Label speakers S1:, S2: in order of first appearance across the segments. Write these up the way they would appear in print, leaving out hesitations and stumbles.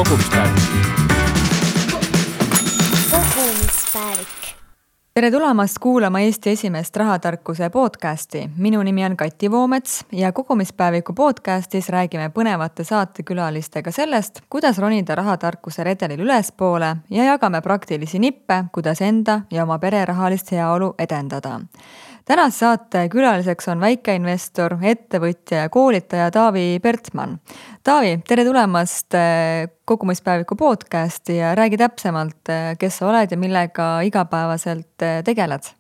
S1: kogumispäev.
S2: Tere tulemast kuulama Eesti esimest rahatarkuse podcasti. Minu nimi on Kati Voomets ja kogumispäeviku podcastis räägime põnevate saatekülalistega sellest, kuidas ronida rahatarkuse redelil ülespoole ja jagame praktilisi nippe, kuidas enda ja oma pere rahalist heaolu edendada. Tänase saate külaliseks on väikeinvestor, ettevõtja ja koolitaja Taavi Pertsman. Taavi, tere tulemast kogumispäeviku podcasti ja räägi täpsemalt, kes sa oled ja millega igapäevaselt tegeled.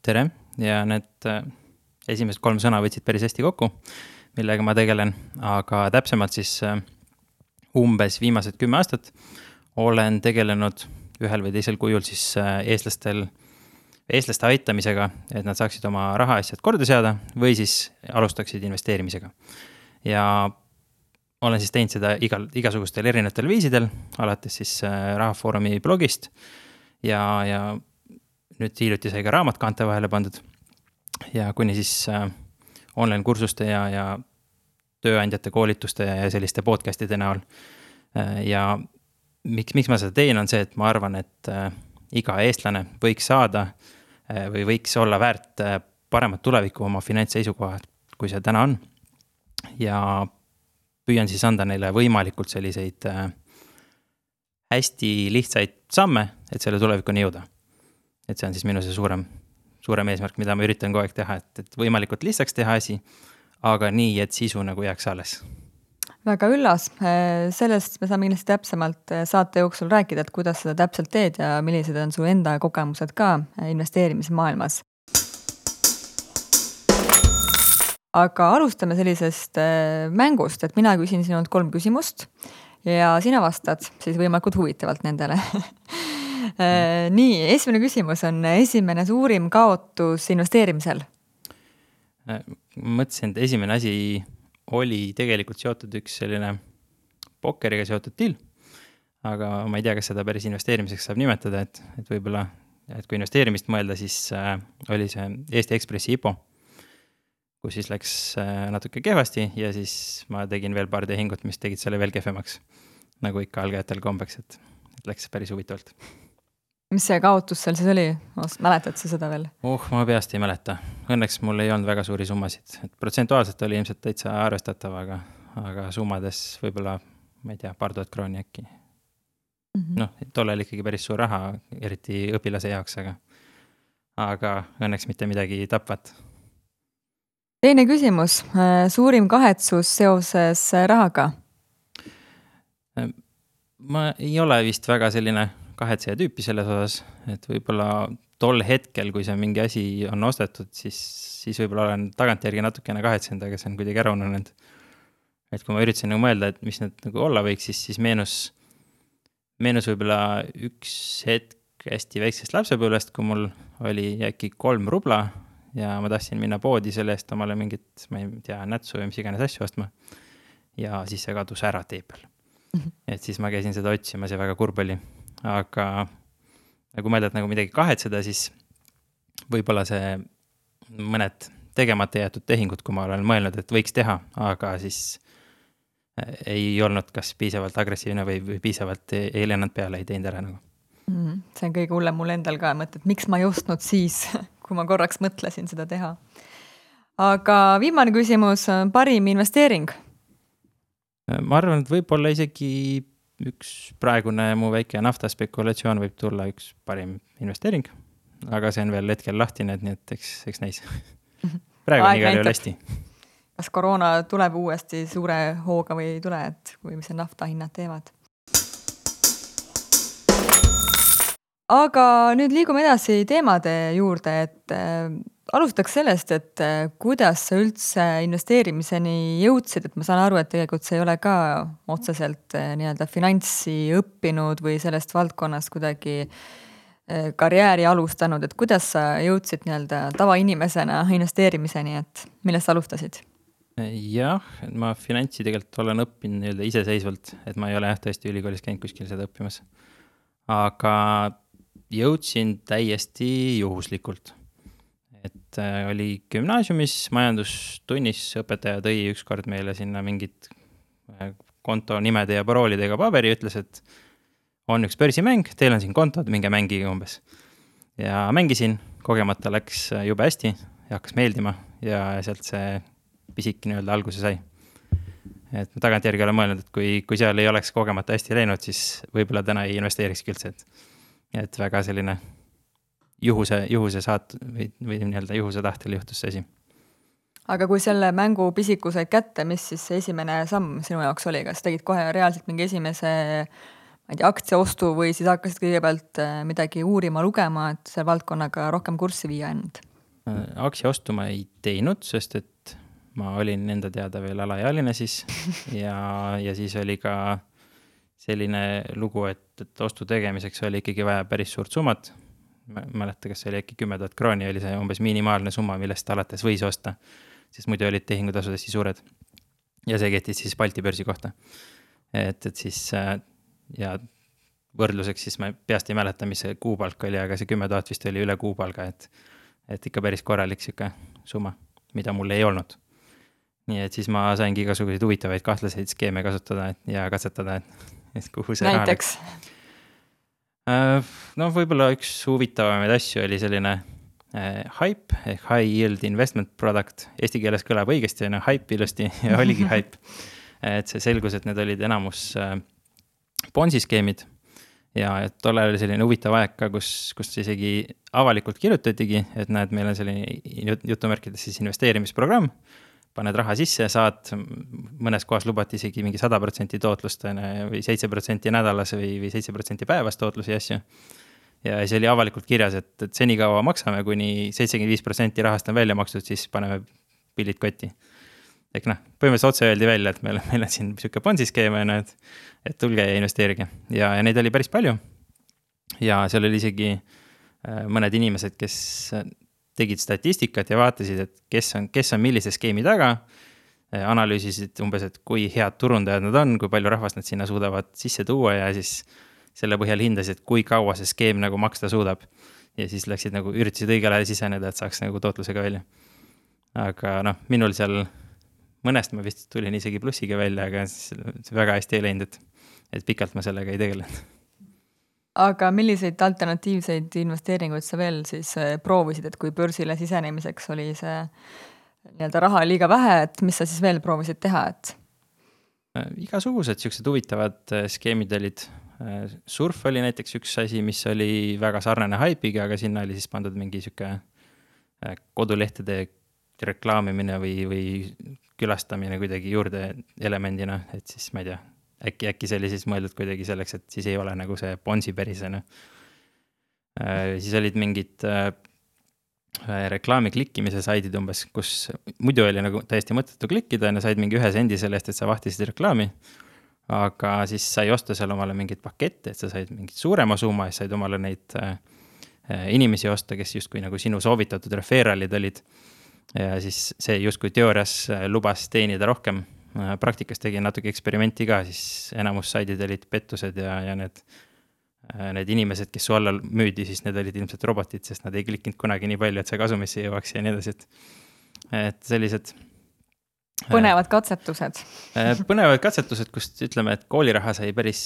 S1: Tere, ja need esimesed 3 sõna võtsid päris hästi kokku, millega ma tegelen, aga täpsemalt siis umbes viimased 10 aastat olen tegelenud ühel või teisel kujul siis eestlaste aitamisega, et nad saaksid oma rahaasjad korda seada või siis alustaksid investeerimisega. Ja olen siis teinud seda igasugustel erinevatel viisidel, alates siis Rahafoorumi blogist ja nüüd hiljuti sai ka raamat kaante vahele pandud ja kuni siis online kursuste ja tööandjate koolituste ja selliste podcastide näol. Ja miks ma seda teen on see, et ma arvan, et iga eestlane võiks saada või võiks olla väärt paremat tulevikku oma finantsseisukohad, kui see täna on. Ja püüan siis anda neile võimalikult selliseid hästi lihtsaid samme, et selle tulevikuni jõuda. Et see on siis minu see suurem eesmärk, mida ma üritan kogu aeg teha, et võimalikult lihtsaks teha asi, aga nii, et sisu nagu jääks alles.
S2: Väga üllas. Sellest me saame kindlasti täpsemalt saate jooksul rääkida, et kuidas seda täpselt teed ja millised on su enda kogemused ka investeerimismaailmas. Aga alustame sellisest mängust, et mina küsin sinult 3 küsimust ja sina vastad siis võimalikult huvitavalt nendele. Nii, esimene küsimus on esimene suurim kaotus investeerimisel.
S1: Mõtlesin, et esimene asi oli tegelikult seotud üks selline pokkeriga seotud deal, aga ma ei tea, kas seda päris investeerimiseks saab nimetada, et võib-olla, et kui investeerimist mõelda, siis oli see Eesti Ekspressi IPO, kus siis läks natuke kehvasti ja siis ma tegin veel paar tehingut, mis tegid selle veel kehvemaks, nagu ikka algajatel kombeks, et läks päris huvitavalt.
S2: Mis see kaotus seal siis oli? Mäletad sa seda veel?
S1: Ma peast ei mäleta. Õnneks mul ei olnud väga suuri summasid. Et protsentuaalselt oli ilmselt täitsa arvestatav, aga summades võib-olla, ma ei tea, paar tuhat krooni äkki. Tollel ikkagi päris suur raha, eriti õpilase jaoks, aga õnneks mitte midagi tapvat.
S2: Teine küsimus. Suurim kahetsus seoses rahaga?
S1: Ma ei ole vist väga selline kahetseja tüüpi selles osas, et võib-olla tol hetkel, kui see mingi asi on ostetud, siis võib-olla olen tagantjärgi natukene kahetsenud, aga see on kuidagi ära ununenud. Et kui ma üritasin nagu mõelda, et mis need nagu olla võiks, siis meenus võib-olla üks hetk hästi väiksest lapsepõlvest, kui mul oli äkki 3 rubla ja ma tahtsin minna poodi selle eest omale mingit, ma ei tea, nätsu või mis iganes asju ostma. Ja siis see kadus ära tee peal. Et siis ma käisin seda otsimas ja väga kurb oli. Aga kui mõelda, et nagu midagi kahetseda, siis võib-olla see mõned tegemata jäetud tehingud, kui ma olen mõelnud, et võiks teha, aga siis ei olnud kas piisavalt agressiivne või piisavalt ei lennanud peale, ei teinud ära nagu.
S2: See on kõige hullem mul endal ka mõte, et miks ma ei ostnud siis, kui ma korraks mõtlesin seda teha. Aga viimane küsimus, parim investeering?
S1: Ma arvan, et võib-olla isegi üks praegune mu väike naftaspekulatsioon võib tulla üks parim investeering, aga see on veel hetkel lahtine, nii et eks näis. Praegu on igal juhul hästi.
S2: Kas koroona tuleb uuesti suure hooga või ei tule, et kui mis nafta hinnad teevad? Aga nüüd liigume edasi teemade juurde, et alustaks sellest, et kuidas sa üldse investeerimiseni jõudsid, et ma saan aru, et tegelikult see ei ole ka otseselt nii-öelda finantsi õppinud või sellest valdkonnast kuidagi karjääri alustanud, et kuidas sa jõudsid nii-öelda tavainimesena investeerimiseni, et millest sa alustasid?
S1: Jah, ma finantsi tegelikult olen õppinud nii-öelda iseseisvalt, et ma ei ole tõesti ülikoolis käinud kuskil seda õppimas. Aga jõudsin täiesti juhuslikult. Et oli gümnaasiumis majandustunnis, õpetaja tõi ükskord meile sinna mingid konto nimede ja paroolidega paberi, ütles, et on üks börsimäng, teil on siin kontod, minge mängige umbes. Ja mängisin, kogemata läks jube hästi ja hakkas meeldima ja sealt see pisik nii-öelda alguse sai. Et ma tagantjärgi olen mõelnud, et kui seal ei oleks kogemata hästi läinud, siis võib-olla täna ei investeerikski üldse, et väga selline juhuse saat või nii-öelda juhuse tahtel juhtus see asi.
S2: Aga kui selle mängu pisiku said kätte, mis siis see esimene samm sinu jaoks oli, kas tegid kohe reaalselt mingi esimese aktsiaostu või siis hakkasid kõigepealt midagi uurima, lugema, et selle valdkonnaga rohkem kurssi viia ennast?
S1: Aktsiaostu ma ei teinud, sest et ma olin enda teada veel alaealine siis ja siis oli ka selline lugu, et ostu tegemiseks oli ikkagi vaja päris suurt summat. Ma mäleta, kas see oli äkki 10 000 krooni, oli see umbes minimaalne summa, millest alates võis osta, sest muidu olid tehingutasud hästi suured. Ja see kehtis siis Balti börsi kohta. Et siis ja võrdluseks siis ma peast ei mäleta, mis see kuupalk oli, aga see 10 000 vist oli üle kuupalga, et ikka päris korralik siuke summa, mida mul ei olnud. Nii et siis ma saingi igasuguseid huvitavaid kahtlaseid skeeme kasutada ja katsetada, et kuhu see
S2: näiteks?
S1: No võib-olla üks huvitavamaid asju oli selline hype ehk high yield investment product. Eesti keeles kõlab õigesti, hype ilusti ja oligi hype. Et see selgus, et need olid enamus Ponzi skeemid ja tollal oli selline huvitav aeg ka, kus isegi avalikult kirjutatigi, et näed, meil on selline jutumärkides siis investeerimisprogramm, paned raha sisse, saad mõnes kohas lubati isegi mingi 100% tootlust või 7% nädalas või 7% päevas tootlusi asju. Ja see oli avalikult kirjas, et senikaua maksame, kuni 75% rahast on välja makstud, siis paneme pillid kotti. Ehk põhimõtteliselt otse öeldi välja, et meil on siin siuke Ponzi skeeme, et tulge ja investeerige. Ja neid oli päris palju. Ja seal oli isegi mõned inimesed, kes tegid statistikat ja vaatasid, et kes on millise skeemi taga, analüüsisid umbes, et kui head turundajad nad on, kui palju rahvast nad sinna suudavad sisse tuua ja siis selle põhjal hindasid, kui kaua see skeem nagu maksta suudab. Ja siis läksid üritasid õigel ajal siseneda, et saaks tootlusega välja. Aga minul seal mõnest ma vist tulin isegi plussiga välja, aga väga hästi ei läinud, et pikalt ma sellega ei tegelenud.
S2: Aga milliseid alternatiivseid investeeringuid sa veel siis proovisid, et kui börsile sisenemiseks oli see nii-öelda raha liiga vähe, et mis sa siis veel proovisid teha?
S1: Igasugused siuksed huvitavad skeemid olid. Surf oli näiteks üks asi, mis oli väga sarnane hype'iga, aga sinna oli siis pandud mingi siuke kodulehtede reklaamimine või külastamine kuidagi juurde elemendina, et siis ma ei tea, äkki see oli siis mõeldud kuidagi selleks, et siis ei ole nagu see Ponzi pärisena. Siis olid mingid reklaami klikkimise saidid umbes, kus muidu oli nagu täiesti mõttetu klikkida ja said mingi 1 sendi selle eest, et sa vahtisid reklaami. Aga siis sai osta seal omale mingid pakette, et sa said mingit suurema summa ja said omale neid inimesi osta, kes justkui nagu sinu soovitatud referalid olid. Ja siis see justkui teoorias lubas teenida rohkem. Praktikas tegin natuke eksperimenti ka, siis enamus saidid olid pettused ja need inimesed, kes su alla müüdi, siis need olid ilmselt robotid, sest nad ei klikkinud kunagi nii palju, et see kasumisse jõuaks ja nii edasi. Et sellised
S2: põnevad katsetused.
S1: Põnevad katsetused, kust ütleme, et kooliraha sai päris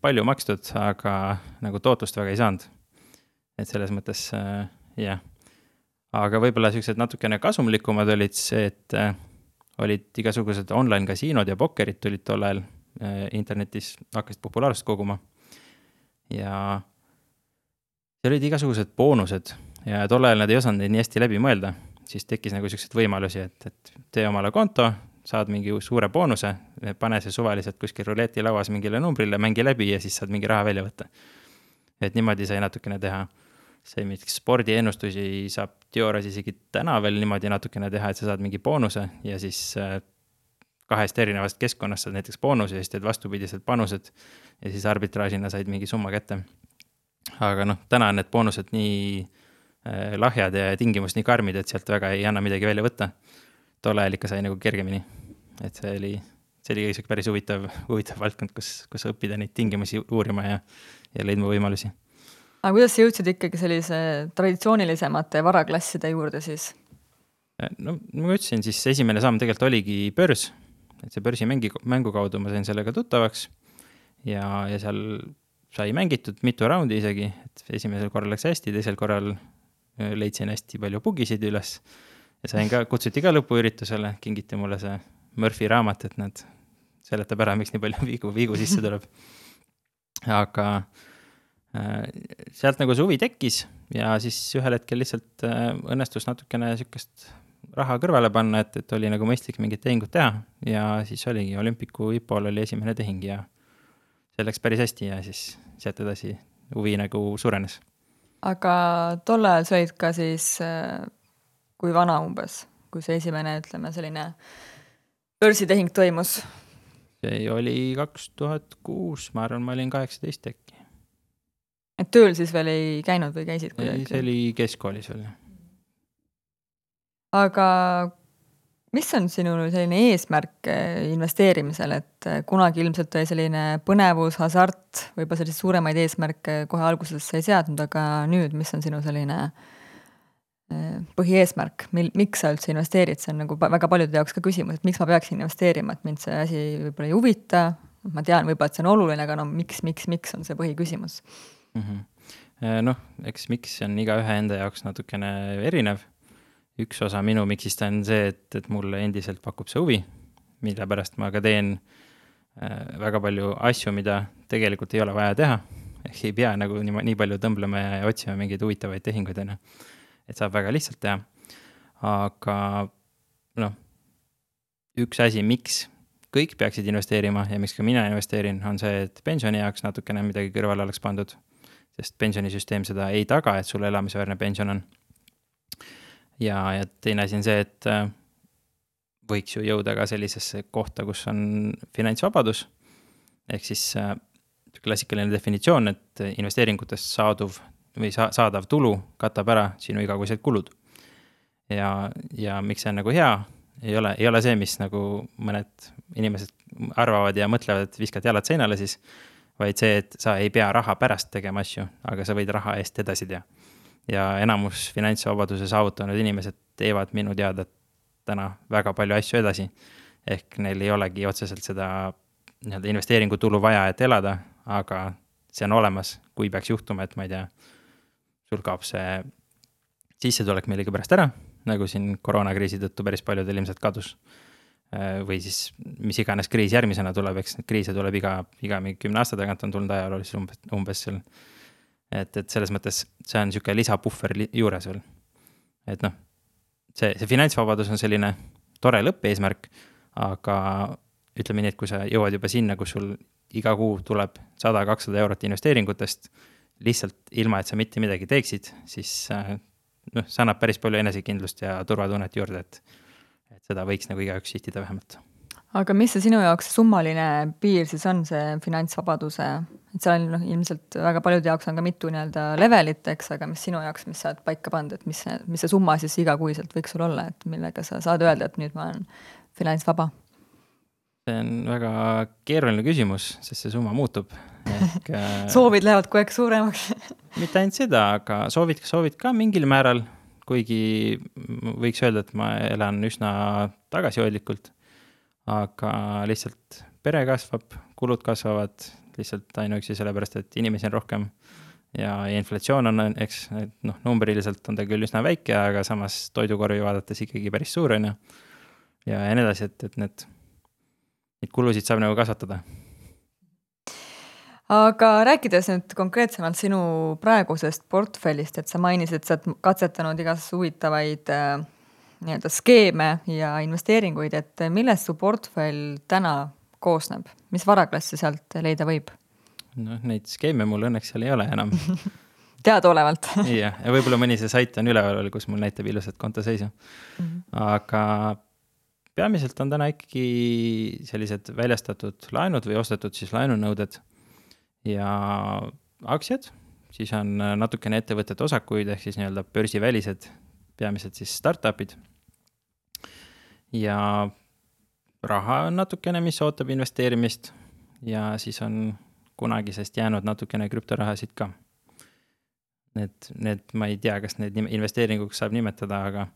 S1: palju makstud, aga nagu tootlust väga ei saanud. Et selles mõttes, jah. Aga võib-olla sellised natukene kasumlikumad olid see, et olid igasugused online kasiinod ja pokkerid tulid tollel internetis, hakkasid populaarsust koguma. Ja see olid igasugused boonused ja tollel nad ei osanud neid nii hästi läbi mõelda. Siis tekkis nagu sellised võimalusi, et tee omale konto, saad mingi suure boonuse, pane see suvaliselt kuskil ruleti lauas mingile numbrile, mängi läbi ja siis saad mingi raha välja võtta. Et niimoodi sai natukene teha. See mingi spordiennustusi saab teoorias isegi täna veel niimoodi natukene teha, et sa saad mingi boonuse ja siis 2 erinevast keskkonnast saad näiteks boonuse ja siis teed vastupidised panused ja siis arbitraažina said mingi summa kätte. Aga täna on need boonused nii lahjad ja tingimus nii karmid, et sealt väga ei anna midagi välja võtta. Tolle ajal ikka sai nagu kergemini. Et see oli päris huvitav valdkond, kus õppida neid tingimusi uurima ja leidma võimalusi.
S2: Aga kuidas sa jõudsid ikkagi sellise traditsioonilisemate varaklasside juurde siis?
S1: No, ma ütlesin, siis esimene samm tegelikult oligi börs, et see börsimängu kaudu ma sain sellega tuttavaks ja seal sai mängitud mitu raundi isegi, et esimesel korral läks hästi, teisel korral leidsin hästi palju bugisid üles ja sain ka, kutsuti ka lõpuüritusele, kingiti mulle see Murphy raamat, et nad seletab ära, miks nii palju viigu sisse tuleb. Aga sealt nagu see huvi tekkis ja siis ühel hetkel lihtsalt õnnestus natukene sükest raha kõrvale panna, et oli nagu mõistlik mingit tehingut teha ja siis oligi Olympicu IPO-l oli esimene tehing ja see läks päris hästi ja siis sealt edasi huvi nagu suurenes.
S2: Aga tol ajal sa olid ka siis, kui vana umbes, kui see esimene, ütleme, selline börsitehing toimus?
S1: See oli 2006, ma arvan, ma olin 18 äkki.
S2: Et tööl siis veel ei käinud või käisid kuidagi?
S1: See oli keskkoolis veel.
S2: Aga mis on sinu selline eesmärk investeerimisel, et kunagi ilmselt oli selline põnevus, hasart, võib-olla selliseid suuremaid eesmärke kohe alguses sa ei seadnud, aga nüüd, mis on sinu selline põhieesmärk, miks sa üldse investeerid, see on nagu väga paljude jaoks ka küsimus, et miks ma peaksin investeerima, et mind see asi võib-olla ei huvita, ma tean võib-olla, et see on oluline, aga no miks on see põhiküsimus?
S1: Noh, eks miks on iga ühe enda jaoks natukene erinev. Üks osa minu miksist on see, et mulle endiselt pakub see huvi, mille pärast ma ka teen väga palju asju, mida tegelikult ei ole vaja teha. Ehk ei pea nagu nii palju tõmblema ja otsima mingeid huvitavaid tehinguid, et saab väga lihtsalt teha. Aga noh, üks asi, miks kõik peaksid investeerima ja miks ka mina investeerin, on see, et pensioni jaoks natukene midagi kõrvale oleks pandud, sest pensionisüsteem seda ei taga, et sul elamisväärne pension on. Ja teine asi on see, et võiks ju jõuda ka sellisesse kohta, kus on finantsvabadus. Ehk siis klassikaline definitsioon, et investeeringutest saadav tulu katab ära sinu igakuised kulud. Ja miks see on nagu hea, ei ole see, mis nagu mõned inimesed arvavad ja mõtlevad, et viskad jalad seinale siis, vaid see, et sa ei pea raha pärast tegema asju, aga sa võid raha eest edasi teha. Ja enamus finantsvabaduse saavutanud inimesed teevad minu teada täna väga palju asju edasi. Ehk neil ei olegi otseselt seda investeeringutulu vaja, et elada, aga see on olemas, kui peaks juhtuma, et ma ei tea, sul kaob see sissetulek millegi pärast ära, nagu siin koroonakriisi tõttu päris paljudel ilmselt kadus. Või siis mis iganes kriis järgmisena tuleb, eks kriise tuleb iga 10 aasta tagant on tulnud ajalooliselt umbes seal. Et selles mõttes see on niisugune lisapuffer juures veel. Et noh, see finantsvabadus on selline tore lõppeesmärk, aga ütleme nii, et kui sa jõuad juba sinna, kus sul iga kuu tuleb 100-200 eurot investeeringutest, lihtsalt ilma, et sa mitte midagi teeksid, siis noh, see annab päris palju enesekindlust ja turvatunnet juurde, et seda võiks nagu igaüks sihtida vähemalt.
S2: Aga mis see sinu jaoks summaline piir siis on, see finantsvabaduse? Et seal on ilmselt väga paljude jaoks on ka mitu levelit, eks, aga mis sinu jaoks, mis sa oled paika pannud, et mis see summa siis igakuiselt võiks sul olla, et millega sa saad öelda, et nüüd ma olen finantsvaba?
S1: See on väga keeruline küsimus, sest see summa muutub.
S2: Soovid lähevad kogu aeg suuremaks.
S1: Mitte ainult seda, aga soovid ka mingil määral, kuigi võiks öelda, et ma elan üsna tagasihoidlikult, aga lihtsalt pere kasvab, kulud kasvavad lihtsalt ainuüksi sellepärast, et inimesi on rohkem ja inflatsioon on, eks, noh, numbriliselt on ta küll üsna väike, aga samas toidukorvi vaadates ikkagi päris suur on ja nii edasi, et need kulusid saab nagu kasvatada.
S2: Aga rääkides nüüd konkreetsemalt sinu praegusest portfellist, et sa mainisid, et sa oled katsetanud igas huvitavaid skeeme ja investeeringuid, et millest su portfell täna koosneb? Mis varaklassi sealt leida võib?
S1: No, neid skeeme mul õnneks seal ei ole enam.
S2: Teadaolevalt.
S1: Ja võib-olla mõni see sait on üleval, kus mul näitab ilusat kontoseisu. Aga peamiselt on täna ikkagi sellised väljastatud laenud või ostetud siis laenunõuded ja aktsiad, siis on natukene ettevõtete osakuid ehk siis nii-öelda börsivälised, peamiselt siis startupid. Ja raha on natukene, mis ootab investeerimist ja siis on kunagisest jäänud natukene krüptorahasid ka. Need ma ei tea, kas need investeeringuks saab nimetada,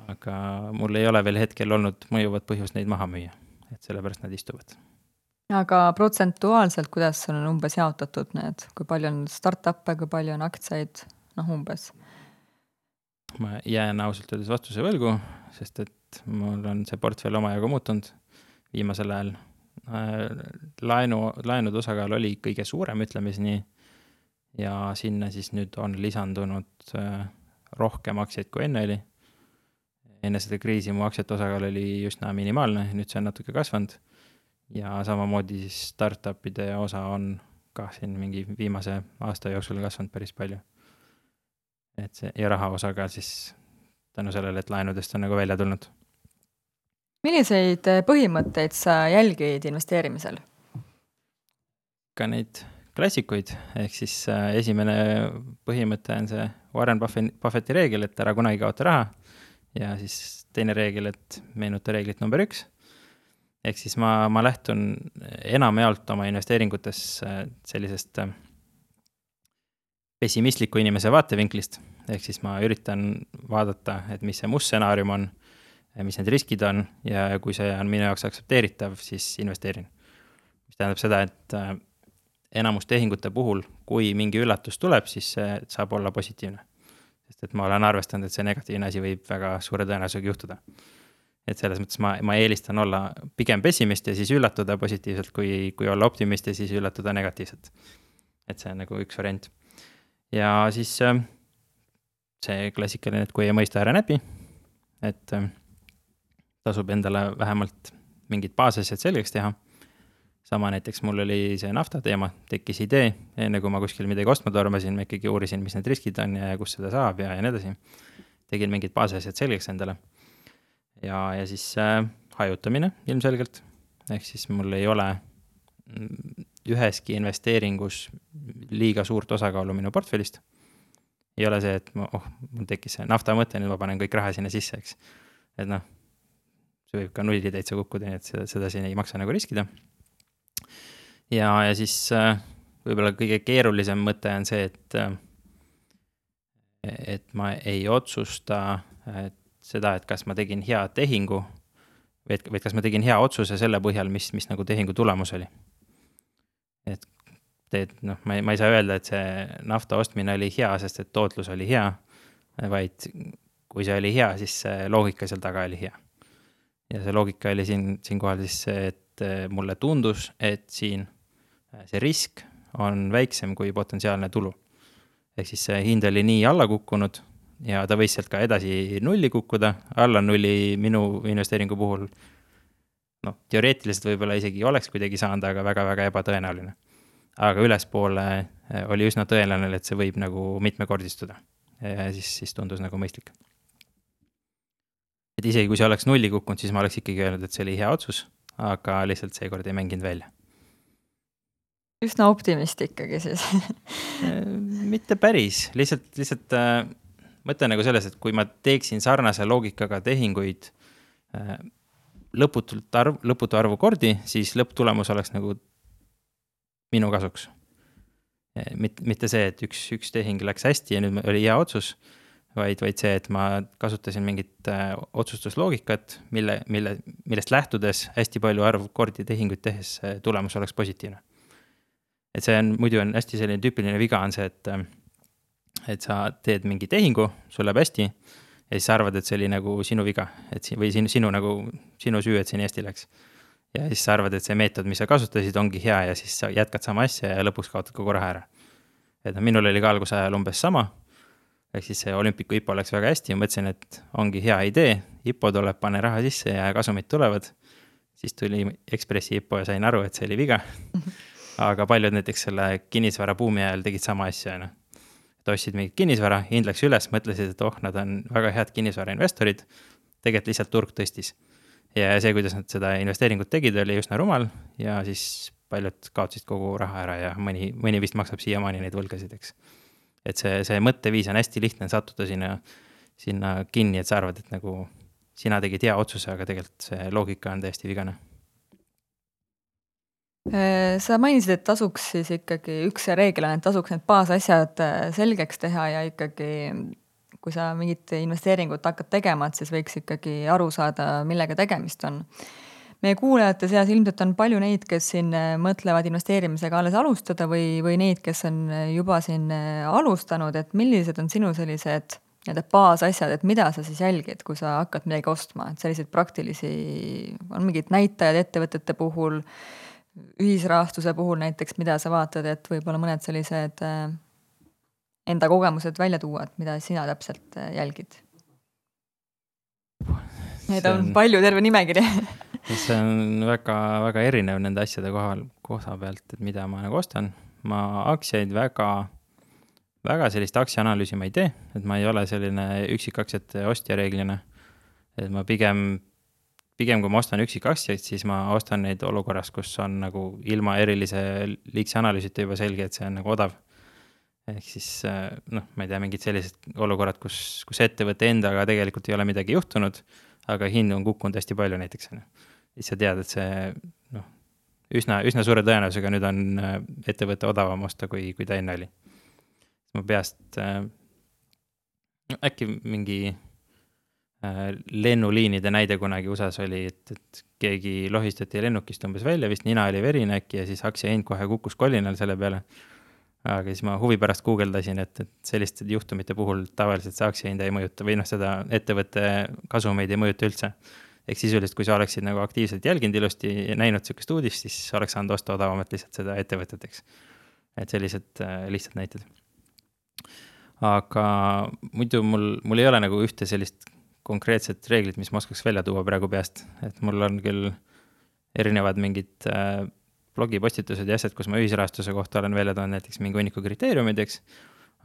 S1: aga mul ei ole veel hetkel olnud mõjuvat põhjust neid maha müüa. et sellepärast nad istuvad.
S2: Aga protsentuaalselt, kuidas on umbes jaotatud need, kui palju on startup'e, kui palju on aktsiaid, umbes?
S1: Ma jään ausalt öeldes vastuse võlgu, sest et mul on see portfell omajagu muutunud viimasel ajal. Laenude osakaal oli kõige suurem, ütleme siis nii, ja sinna siis nüüd on lisandunud rohkem aktsiaid kui enne oli. Enne seda kriisi mu aktsiate osakaal oli üsna minimaalne, nüüd see on natuke kasvanud. Ja samamoodi siis startupide osa on ka siin mingi viimase aasta jooksul kasvanud päris palju. Et see ja raha osakaal siis tänu sellele, et laenudest on nagu välja tulnud.
S2: Milliseid põhimõtteid sa jälgid investeerimisel?
S1: Ka neid klassikuid, ehk siis esimene põhimõte on see Warren Buffetti reegel, et ära kunagi kaota raha. Ja siis teine reegel, et meenuta reeglit number 1. Ehk siis ma lähtun enamjaolt oma investeeringutes sellisest pessimistliku inimese vaatevinklist. Ehk siis ma üritan vaadata, et mis see must stsenaarium on, mis need riskid on ja kui see on minu jaoks aktsepteeritav, siis investeerin. Mis tähendab seda, et enamus tehingute puhul, kui mingi üllatus tuleb, siis see saab olla positiivne. Sest et ma olen arvestanud, et see negatiivne asi võib väga suure tõenäosusega juhtuda. Et selles mõttes ma eelistan olla pigem pessimist ja siis üllatuda positiivselt, kui olla optimist ja siis üllatuda negatiivselt. Et see on nagu üks variant. Ja siis see klassikaline, et kui ei mõista ära näpi, et tasub endale vähemalt mingid baasasjad selgeks teha. Sama näiteks mul oli see nafta teema, tekkis idee, enne kui ma kuskil midagi ostma tormasin, ma ikkagi uurisin, mis need riskid on ja kus seda saab ja nii edasi. Tegin mingid baasasjad selgeks endale. Ja siis hajutamine ilmselgelt, ehk siis mul ei ole üheski investeeringus liiga suurt osakaalu minu portfellist. Ei ole see, et mul tekkis see nafta mõte, nüüd ma panen kõik raha sinna sisse, eks. Et see võib ka nulli täitsa kukkuda, nii et seda siin ei maksa nagu riskida. Ja siis võib-olla kõige keerulisem mõte on see, et ma ei otsusta seda, et kas ma tegin hea tehingu või kas ma tegin hea otsuse selle põhjal, mis nagu tehingu tulemus oli. Et ma ei saa öelda, et see nafta ostmine oli hea, sest et tootlus oli hea, vaid kui see oli hea, siis see loogika seal taga oli hea. Ja see loogika oli siin kohal siis see, et mulle tundus, et siin see risk on väiksem kui potentsiaalne tulu. Ehk siis see hind oli nii alla kukkunud ja ta võis sealt ka edasi nulli kukkuda, alla nulli minu investeeringu puhul. Teoreetiliselt võib-olla isegi oleks kuidagi saanud, aga väga-väga ebatõenäoline. Aga ülespoole oli üsna tõenäoline, et see võib nagu mitmekordistuda ja siis tundus nagu mõistlik. Et isegi kui see oleks nulli kukkunud, siis ma oleks ikkagi öelnud, et see oli hea otsus, aga lihtsalt seekord ei mänginud välja.
S2: Üsna optimist ikkagi siis.
S1: Mitte päris, lihtsalt mõte nagu selles, et kui ma teeksin sarnase loogikaga tehinguid lõputu arvu kordi, siis lõpptulemus oleks nagu minu kasuks. Mitte see, et üks tehing läks hästi ja nüüd oli hea otsus, vaid see, et ma kasutasin mingit otsustusloogikat, millest lähtudes hästi palju arvu kordi tehinguid tehes tulemus oleks positiivne. Et see muidu on hästi selline tüüpiline viga on see, et sa teed mingi tehingu, sul läheb hästi ja siis sa arvad, et see oli nagu sinu viga või sinu süü, et see nii hästi läks. Ja siis sa arvad, et see meetod, mis sa kasutasid, ongi hea ja siis sa jätkad sama asja ja lõpuks kaotad kogu raha ära. Et minul oli ka alguse ajal umbes sama, ehk siis see olümpiku IPO läks väga hästi ja mõtlesin, et ongi hea idee, IPO tuleb, pane raha sisse ja kasumid tulevad. Siis tuli Ekspressi IPO ja sain aru, et see oli viga. Aga paljud näiteks selle kinnisvara buumi ajal tegid sama asja. Et ostsid mingit kinnisvara, hind läks üles, mõtlesid, et nad on väga head kinnisvara investorid, tegelikult lihtsalt turg tõstis. Ja see, kuidas nad seda investeeringut tegid, oli üsna rumal ja siis paljud kaotsid kogu raha ära ja mõni vist maksab siiamaani neid võlgasid, eks. Et see mõtteviis on hästi lihtne sattuda sinna kinni, et sa arvad, et nagu sina tegid hea otsuse, aga tegelikult see loogika on täiesti vigane.
S2: Sa mainisid, et tasuks siis ikkagi üks reegel on, et tasuks need baasasjad selgeks teha ja ikkagi, kui sa mingit investeeringut hakkad tegema, siis võiks ikkagi aru saada, millega tegemist on. meie kuulajate seas ilmselt on palju neid, kes siin mõtlevad investeerimisega alles alustada või neid, kes on juba siin alustanud, et millised on sinu sellised baasasjad, et mida sa siis jälgid, kui sa hakkad midagi ostma, et selliseid praktilisi, on mingid näitajad ettevõtete puhul, ühisrahastuse puhul näiteks, mida sa vaatad, et võib-olla mõned sellised enda kogemused välja tuua, et mida sina täpselt jälgid? Neid on palju, terve nimekiri.
S1: See on väga, väga erinev nende asjade koha pealt, et mida ma nagu ostan. Ma aktsiaid väga sellist aktsiaanalüüsi ma ei tee, et ma ei ole selline üksikaktsiate ostja reeglina. Et ma pigem kui ma ostan üksikaktsiaid, siis ma ostan neid olukorras, kus on nagu ilma erilise liigse analüüsita juba selge, et see on nagu odav. Ehk siis, ma ei tea, mingid sellised olukorrad, kus ettevõtte endaga tegelikult ei ole midagi juhtunud, aga hind on kukkunud hästi palju näiteks. Siis sa tead, et see üsna suure tõenäosusega nüüd on ettevõtte odavam osta, kui ta enne oli. Ma peast äkki mingi lennuliinide näide kunagi USAs oli, et keegi lohistati lennukist umbes välja, vist nina oli verine äkki ja siis aktsia hind kohe kukkus kolinal selle peale. Aga siis ma huvi pärast guugeldasin, et selliste juhtumite puhul tavaliselt see aktsiahinda ei mõjuta või seda ettevõtte kasumeid ei mõjuta üldse. Ehk sisuliselt, kui sa oleksid nagu aktiivselt jälginud ilusti ja näinud sellist uudist, siis oleks saanud osta odavamat lihtsalt seda ettevõteteks. Et sellised lihtsalt näited. Aga muidu mul ei ole nagu ühte sellist konkreetset reeglit, mis ma oskaks välja tuua praegu peast. Et mul on küll erinevad mingid blogipostitused ja asjad, kus ma ühisrahastuse kohta olen välja toonud näiteks mingi hunniku kriteeriumideks,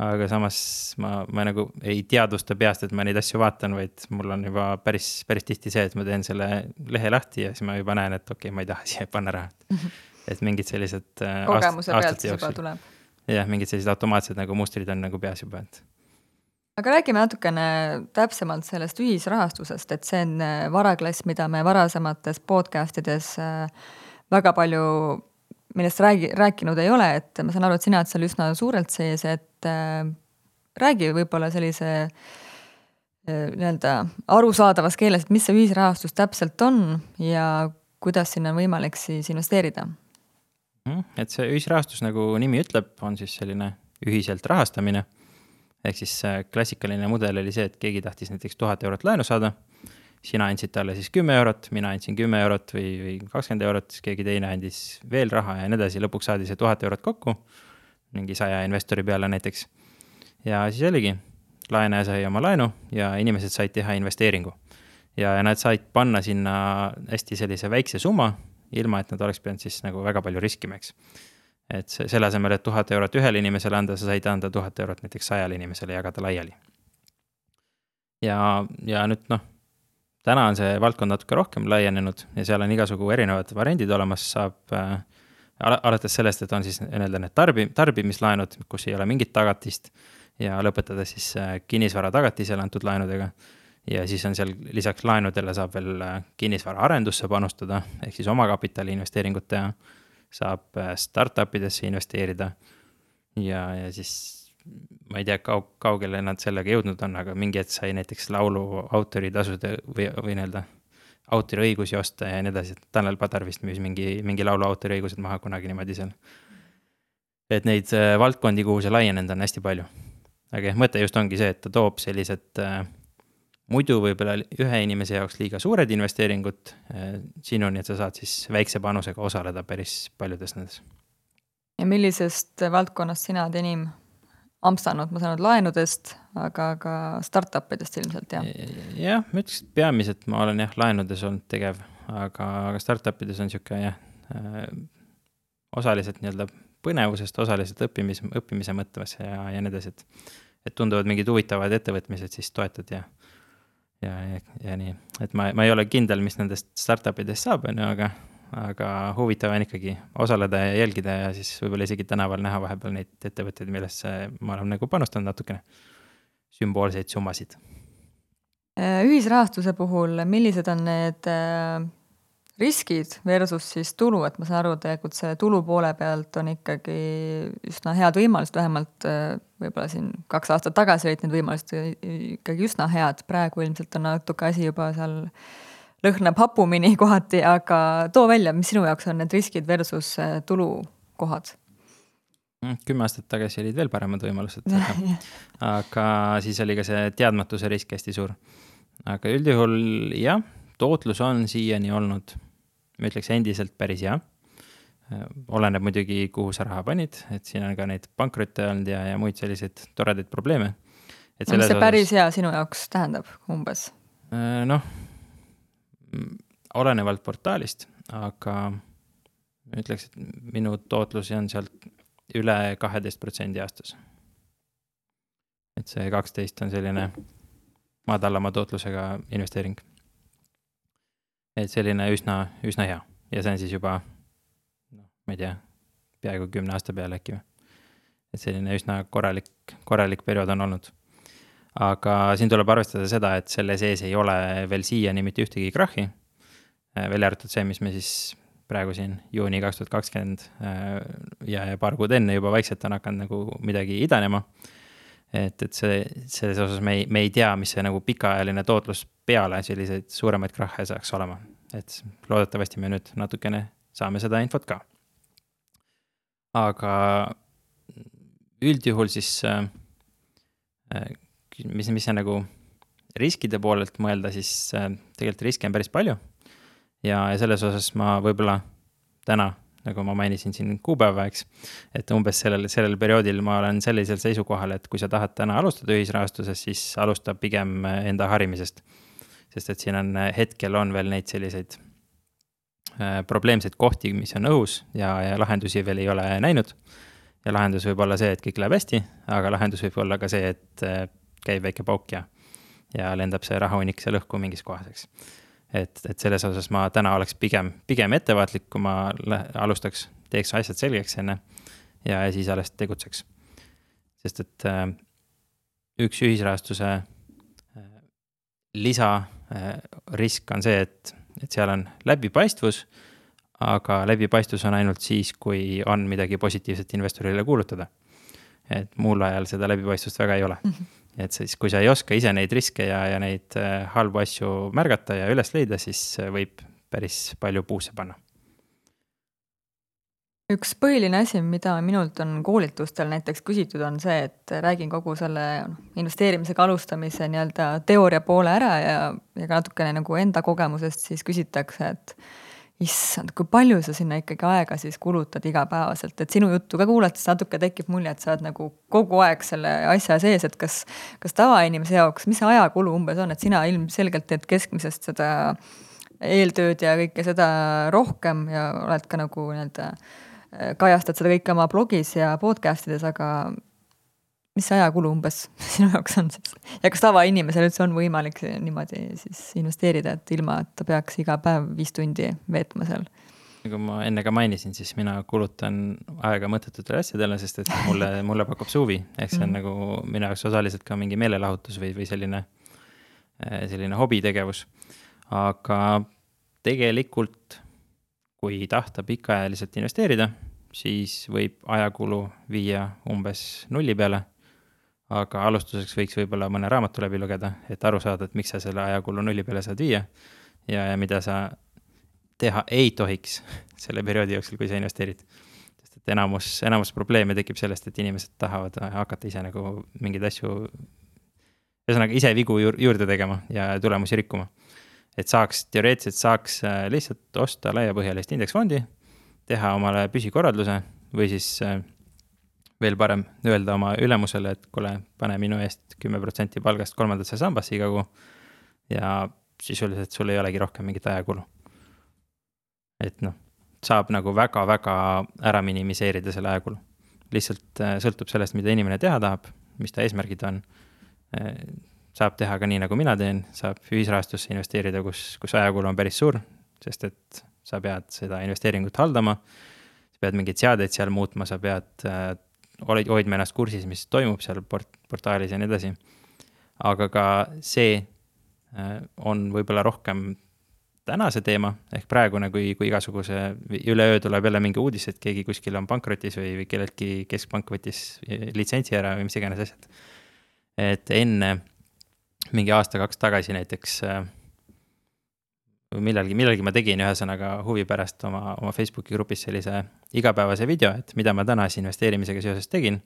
S1: aga samas ma nagu ei teadvusta peast, et ma neid asju vaatan, vaid mul on juba päris tihti see, et ma teen selle lehe lahti ja siis ma juba näen, et okei, ma ei taha siia panna raha. Et mingid sellised
S2: kogemuse pealt juba tuleb.
S1: Jah, mingid sellised automaatsed nagu mustrid on nagu peas juba.
S2: Aga räägime natukene täpsemalt sellest ühisrahastusest, et see on varaklass, mida me varasemates podcastides väga palju millest rääkinud ei ole, et ma saan aru, et sina oled seal üsna suurelt sees, et räägi võib-olla sellise arusaadavas keeles, et mis see ühisrahastus täpselt on ja kuidas sinna on võimalik siis investeerida?
S1: Et see ühisrahastus, nagu nimi ütleb, on siis selline ühiselt rahastamine. Ehk siis klassikaline mudel oli see, et keegi tahtis näiteks 1000 eurot laenu saada. Sina andsid talle siis 10 eurot, mina andsin 10 eurot või 20 eurot, siis keegi teine andis veel raha ja nii edasi. Lõpuks saadi see 1000 eurot kokku, mingi 100 investori peale näiteks. Ja siis oligi, laenaja sai oma laenu ja inimesed said teha investeeringu. Ja nad said panna sinna hästi sellise väikse summa, ilma et nad oleks pidanud siis nagu väga palju riskimeks. Et selle asemel, et 1000 eurot ühele inimesele anda, sa said anda 1000 eurot näiteks 100 inimesele jagada laiali. Ja nüüd täna on see valdkond natuke rohkem laienenud ja seal on igasugu erinevad variandid olemas, saab alates sellest, et on siis need tarbimislaenud, kus ei ole mingit tagatist ja lõpetada siis kinnisvara tagatisele antud laenudega. Ja siis on seal lisaks laenudele saab veel kinnisvara arendusse panustada, ehk siis omakapitali investeeringut teha, saab startupidesse investeerida ja siis ma ei tea, kaugele nad sellega jõudnud on, aga mingi hetk sai näiteks laulu autoritasude või autoriõigusi osta ja nii edasi. Tanel Padar vist müüs mingi laulu autoriõigused maha kunagi niimoodi seal. Et neid valdkondi, kuhu see laienenud on hästi palju. Aga mõte just ongi see, et ta toob sellised muidu võib-olla ühe inimese jaoks liiga suured investeeringud sinuni, et sa saad siis väikse panusega osaleda päris paljudes nendes.
S2: Ja millisest valdkonnast sina oled enim ampstanud, ma saanud laenudest, aga ka startupidest ilmselt, jah?
S1: Jah, ma ütleks, et peamiselt ma olen laenudes olnud tegev, aga startupides on niisugune osaliselt põnevusest, osaliselt õppimise mõttes ja nii edasi, et tunduvad mingid huvitavad ettevõtmised, siis toetad ja nii. Et ma ei ole kindel, mis nendest startupidest saab, aga huvitav on ikkagi osaleda ja jälgida ja siis võib-olla isegi tänaval näha vahepeal neid ettevõtteid, millesse ma olen nagu panustanud natukene sümboolseid summasid.
S2: Ühisrahastuse puhul, millised on need riskid versus siis tulu, et ma saan aru, tegelikult see tulu poole pealt on ikkagi üsna head võimalused, vähemalt võib-olla siin 2 aastat tagasi olid need võimalused ikkagi üsna head, praegu ilmselt on natuke asi juba seal lõhnab hapumini kohati, aga too välja, mis sinu jaoks on need riskid versus tulukohad?
S1: 10 aastat tagasi olid veel paremad võimalused, aga siis oli ka see teadmatuse risk hästi suur. Aga üldjuhul jah, tootlus on siiani olnud, ma ütleks endiselt päris hea. Oleneb muidugi, kuhu sa raha panid, et siin on ka neid pankrotte olnud ja muid selliseid toredaid probleeme.
S2: Mis see päris hea sinu jaoks tähendab umbes?
S1: Noh, olenevalt portaalist, aga ütleks, et minu tootlusi on sealt üle 12% aastas. Et see 12 on selline madalama tootlusega investeering. Et selline üsna hea. Ja see on siis juba, ma ei tea, peaaegu 10 aasta peale äkki. Et selline üsna korralik periood on olnud. Aga siin tuleb arvestada seda, et selle sees ei ole veel siiani mitte ühtegi krahhi. Välja arvatud see, mis me siis praegu siin juuni 2020 ja paar kuud enne juba vaikselt on hakanud nagu midagi idanema. Et selles osas me ei tea, mis see nagu pikaajaline tootlus peale selliseid suuremaid krahhe saaks olema. Et loodetavasti me nüüd natukene saame seda infot ka. Aga üldjuhul siis, mis see nagu riskide poolelt mõelda, siis tegelikult riske on päris palju. Ja selles osas ma võib-olla täna, nagu ma mainisin siin kuupäeva, eks, et umbes sellel perioodil ma olen sellisel seisukohal, et kui sa tahad täna alustada ühisrahastuses, siis alusta pigem enda harimisest. Sest et siin on hetkel on veel neid selliseid probleemseid kohti, mis on õhus ja lahendusi veel ei ole näinud. Ja lahendus võib olla see, et kõik läheb hästi, aga lahendus võib olla ka see, et käib väike pauk ja lendab see rahaunik seal õhku mingis kohaseks. Et selles osas ma täna oleks pigem ettevaatlik, kui ma alustaks, teeks asjad selgeks enne ja siis alles tegutseks. Sest et üks ühisrahastuse lisarisk on see, et seal on läbipaistvus, aga läbipaistvus on ainult siis, kui on midagi positiivset investorile kuulutada. Et muul ajal seda läbipaistvust väga ei ole. Et siis, kui sa ei oska ise neid riske ja neid halbu asju märgata ja üles leida, siis võib päris palju puusse panna.
S2: Üks põhiline asi, mida minult on koolitustel näiteks küsitud, on see, et räägin kogu selle investeerimisega alustamise nii-öelda teooria poole ära ja ka natukene nagu enda kogemusest siis küsitakse, et issand, kui palju sa sinna ikkagi aega siis kulutad igapäevaselt, et sinu juttu ka kuulates natuke tekib mulje, et sa oled nagu kogu aeg selle asja sees, et kas tavainimese jaoks, mis ajakulu umbes on, et sina ilmselgelt teed keskmisest seda eeltööd ja kõike seda rohkem ja oled ka nagu nii-öelda kajastad seda kõike oma blogis ja podcastides, aga mis ajakulu umbes sinu jaoks on siis? Ja kas tavainimesel üldse on võimalik niimoodi siis investeerida, et ilma, et ta peaks iga päev 5 tundi veetma seal?
S1: Nagu ma enne ka mainisin, siis mina kulutan aega mõttetutele asjadele, sest et mulle pakub suvi. Ehk see on nagu minu jaoks osaliselt ka mingi meelelahutus või selline hobitegevus. Aga tegelikult, kui tahta pikaajaliselt investeerida, siis võib ajakulu viia umbes 0 peale. Aga alustuseks võiks võib-olla mõne raamatu läbi lugeda, et aru saada, et miks sa selle ajakulu 0 peale saad viia ja mida sa teha ei tohiks selle perioodi jooksul, kui sa investeerid. Sest et enamus probleeme tekib sellest, et inimesed tahavad hakata ise nagu mingeid asju, ühesõnaga ise vigu juurde tegema ja tulemusi rikkuma. Et teoreetiliselt saaks lihtsalt osta laiapõhjalist indeksfondi, teha omale püsikorraldluse või siis veel parem öelda oma ülemusele, et kuule, pane minu eest 10% palgast 3. sambasse iga kuu ja sisuliselt sul ei olegi rohkem mingit ajakulu. Et saab nagu väga-väga ära minimiseerida selle ajakulu. Lihtsalt sõltub sellest, mida inimene teha tahab, mis ta eesmärgid on. Saab teha ka nii, nagu mina teen, saab ühisrahastusse investeerida, kus ajakulu on päris suur, sest et sa pead seda investeeringut haldama, sa pead mingid seadeid seal muutma, sa pead hoidma ennast kursis, mis toimub seal portaalis ja nii edasi. Aga ka see on võib-olla rohkem tänase teema, ehk praegune, kui igasuguse üleöö tuleb jälle mingi uudis, et keegi kuskil on pankrotis või kelleltki keskpank võttis litsentsi ära või mis iganes asjad. Et enne mingi aasta 2 tagasi näiteks millalgi ma tegin ühesõnaga huvi pärast oma Facebooki grupis sellise igapäevase video, et mida ma täna investeerimisega seoses tegin,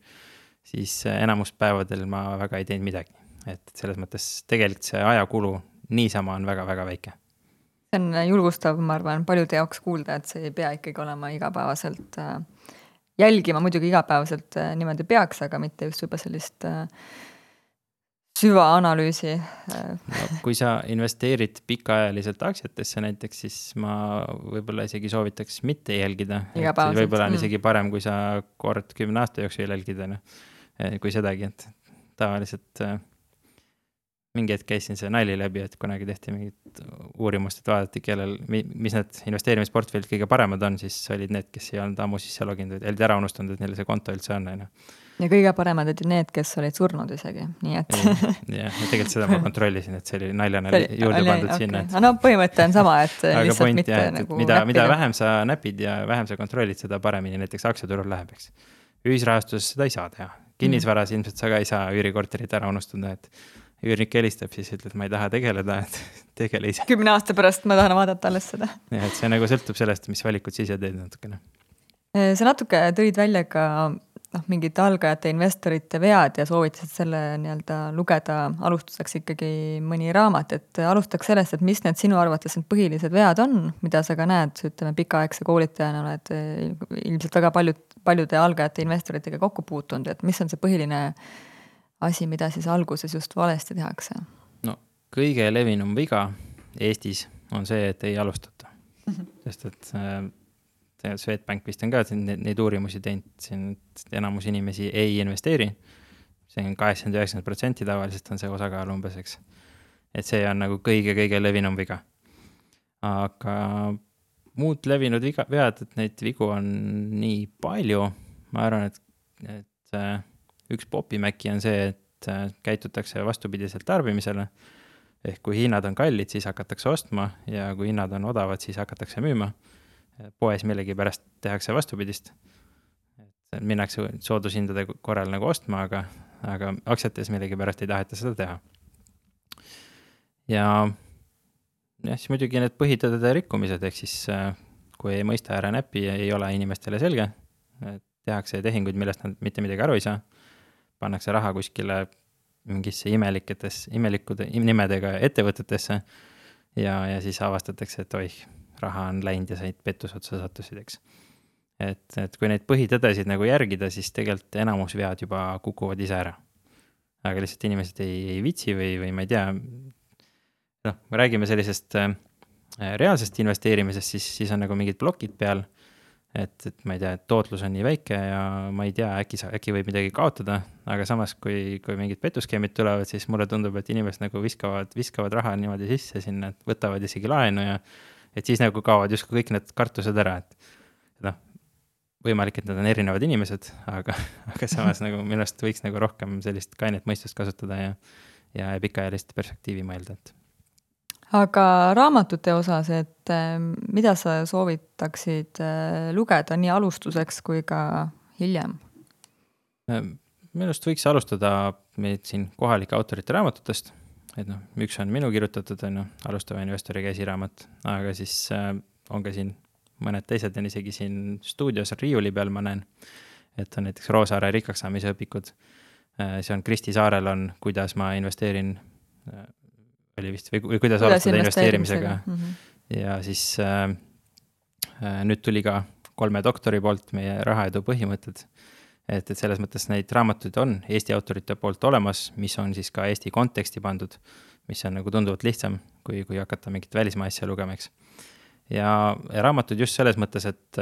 S1: siis enamus päevadel ma väga ei teinud midagi. Et selles mõttes tegelikult see ajakulu niisama on väga-väga väike.
S2: See on julgustav, ma arvan, paljude jaoks kuulda, et see ei pea ikkagi olema igapäevaselt jälgima, muidugi igapäevaselt niimoodi peaks, aga mitte just juba sellist süvaanalüüsi.
S1: No, kui sa investeerid pikaajaliselt aktsiatesse näiteks, siis ma võib-olla isegi soovitaks mitte jälgida. Võib-olla on isegi parem, kui sa kord 10 aasta jooksul jälgida, kui sedagi, et tavaliselt mingi hetk käisin see nali läbi, et kunagi tehti mingit uurimust, et vaadati, mis need investeerimisportfellid kõige paremad on, siis olid need, kes ei olnud ammu sisse loginud, olid ära unustanud, et neil see konto üldse on.
S2: Ja kõige paremad olid need, kes olid surnud isegi, nii et...
S1: Ja tegelikult seda ma kontrollisin, et see oli naljana juurde pandud sinna.
S2: Okay. No põhimõte on sama, et lihtsalt
S1: point,
S2: mitte
S1: jah,
S2: nagu
S1: mida vähem sa näpid ja vähem sa kontrollid, seda paremini näiteks aktsiaturul läheb, eks. Ühisrahastuses seda ei saa teha. Kinnisvaras ilmselt sa ka ei saa üürikorterit ära unustada, et üürnik helistab, siis ütled, ma ei taha tegeleda, et tegele ise.
S2: 10 aasta pärast ma tahan vaadata alles seda.
S1: Ja, et see nagu sõltub sellest, mis valikud siis ja teed natukene.
S2: Sa natuke tõid välja ka mingid algajate investorite vead ja soovitasid selle lugeda alustuseks ikkagi mõni raamat, et alustaks sellest, et mis need sinu arvates need põhilised vead on, mida sa ka näed, ütleme pikaaegse koolitajana oled ilmselt väga paljude algajate investoritega kokku puutunud, et mis on see põhiline asi, mida siis alguses just valesti tehakse?
S1: No, kõige levinum viga Eestis on see, et ei alustata. Sest et Swedbank vist on ka neid uurimusi teinud, siin enamus inimesi ei investeeri. See on 80-90% tavaliselt on see osakaal umbes, eks. Et see on nagu kõige levinum viga. Aga muud levinud vead, et neid vigu on nii palju. Ma arvan, et üks popimäki on see, et käitutakse vastupidiselt tarbimisele. Ehk kui hinnad on kallid, siis hakatakse ostma ja kui hinnad on odavad, siis hakatakse müüma. Poes millegi pärast tehakse vastupidist. Minnakse soodushindade korral nagu ostma, aga aktsiates millegi pärast ei taheta seda teha. Ja siis muidugi need põhitõdede rikkumised, ehk siis kui ei mõista ära näppi ja ei ole inimestele selge, tehakse tehinguid, millest nad mitte midagi aru ei saa, pannakse raha kuskile mingisse imelikude nimedega ettevõtetesse ja siis avastatakse, et oih, raha on läinud ja said pettusotsa sattusid, eks. Et kui neid põhitõdesid nagu järgida, siis tegelikult enamus vead juba kukuvad ise ära. Aga lihtsalt inimesed ei vitsi või ma ei tea, me räägime sellisest reaalsest investeerimisest, siis on nagu mingid blokid peal, et ma ei tea, et tootlus on nii väike ja ma ei tea, äkki võib midagi kaotada, aga samas, kui mingid petuskeemid tulevad, siis mulle tundub, et inimesed nagu viskavad raha niimoodi sisse sinna, et võtavad isegi laenu ja et siis nagu kaovad justkui kõik need kartused ära, et võimalik, et nad on erinevad inimesed, aga samas nagu millest võiks nagu rohkem sellist kainet mõistust kasutada ja pikaajalist perspektiivi mõelda, et
S2: aga raamatute osas, et mida sa soovitaksid lugeda nii alustuseks kui ka hiljem?
S1: Minust võiks alustada meid siin kohalike autorite raamatutest, et üks on minu kirjutatud, alustava investori käsiraamat, aga siis on ka siin mõned teised on isegi siin stuudios riiuli peal, ma näen, et on näiteks Roosaare rikkaks saamise õpikud. See on Kristi Saarel on, kuidas ma investeerin oli vist, või kuidas alustada investeerimisega. Ja siis nüüd tuli ka 3 doktori poolt meie rahaedu põhimõtted, et selles mõttes neid raamatuid on Eesti autorite poolt olemas, mis on siis ka Eesti konteksti pandud, mis on nagu tunduvalt lihtsam, kui hakata mingit välismaa asja lugemaks. Ja raamatud just selles mõttes, et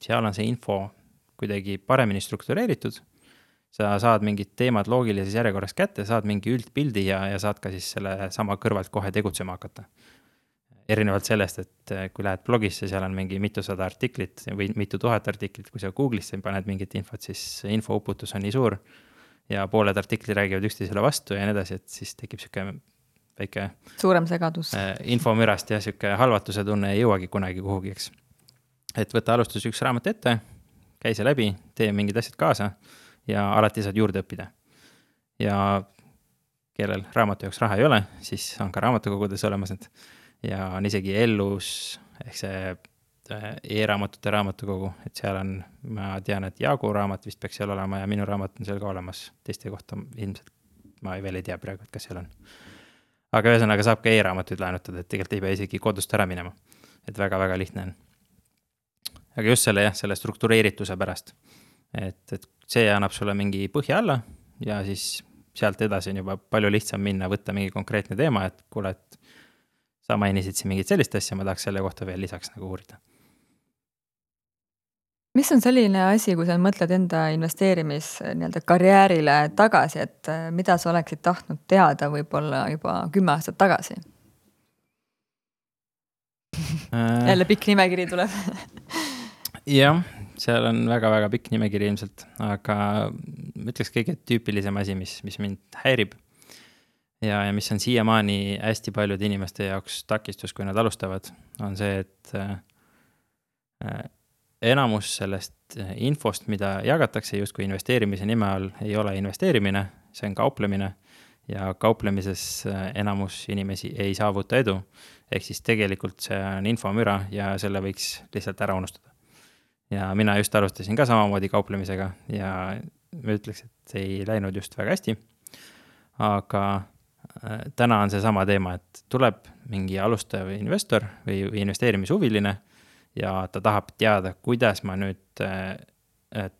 S1: seal on see info kuidagi paremini struktureeritud, sa saad mingid teemad loogilises järjekorras kätte, saad mingi üldpildi ja saad ka siis selle sama kõrvalt kohe tegutsema hakata. Erinevalt sellest, et kui lähed blogisse, seal on mingi mitusada artiklit või mitu tuhat artiklit, kui sa Google'isse paned mingit infot, siis infouputus on nii suur ja pooled artiklid räägivad üksteisele vastu ja nii edasi, et siis tekib siuke väike
S2: suurem segadus.
S1: Infomürast ja siuke halvatuse tunne ei jõuagi kunagi kuhugi, eks. Et võtta alustus üks raamat ette, käi see läbi, tee mingid asjad kaasa ja alati saad juurde õppida. Ja kellel raamatu jaoks raha ei ole, siis on ka raamatukogudes olemas ja on isegi Ellus ehk see e-raamatute raamatukogu, et seal on, ma tean, et Jaagu raamat vist peaks seal olema ja minu raamat on seal ka olemas, teiste kohta ilmselt ma veel ei tea praegu, et kas seal on. Aga ühesõnaga saab ka e-raamatuid laenutada, et tegelikult ei pea isegi kodust ära minema, et väga-väga lihtne on. Aga just selle struktureerituse pärast, et see annab sulle mingi põhja alla ja siis sealt edasi on juba palju lihtsam minna, võtta mingi konkreetne teema, et kuule, et sa mainisid siin mingit sellist asja, ma tahaks selle kohta veel lisaks nagu uurida.
S2: Mis on selline asi, kui sa mõtled enda karjäärile tagasi, et mida sa oleksid tahtnud teada võib-olla juba 10 aastat tagasi? Jälle pikk nimekiri tuleb.
S1: Jah, seal on väga-väga pikk nimekiri ilmselt, aga ütleks kõige tüüpilisem asi, mis mind häirib ja mis on siiamaani hästi paljude inimeste jaoks takistus, kui nad alustavad, on see, et enamus sellest infost, mida jagatakse justkui investeerimise nime all, ei ole investeerimine, see on kauplemine ja kauplemises enamus inimesi ei saavuta edu. Ehk siis tegelikult see on infomüra ja selle võiks lihtsalt ära unustada. Ja mina just alustasin ka samamoodi kauplemisega ja ma ütleks, et ei läinud just väga hästi. Aga täna on see sama teema, et tuleb mingi alustav investor või investeerimishuviline ja ta tahab teada, kuidas ma nüüd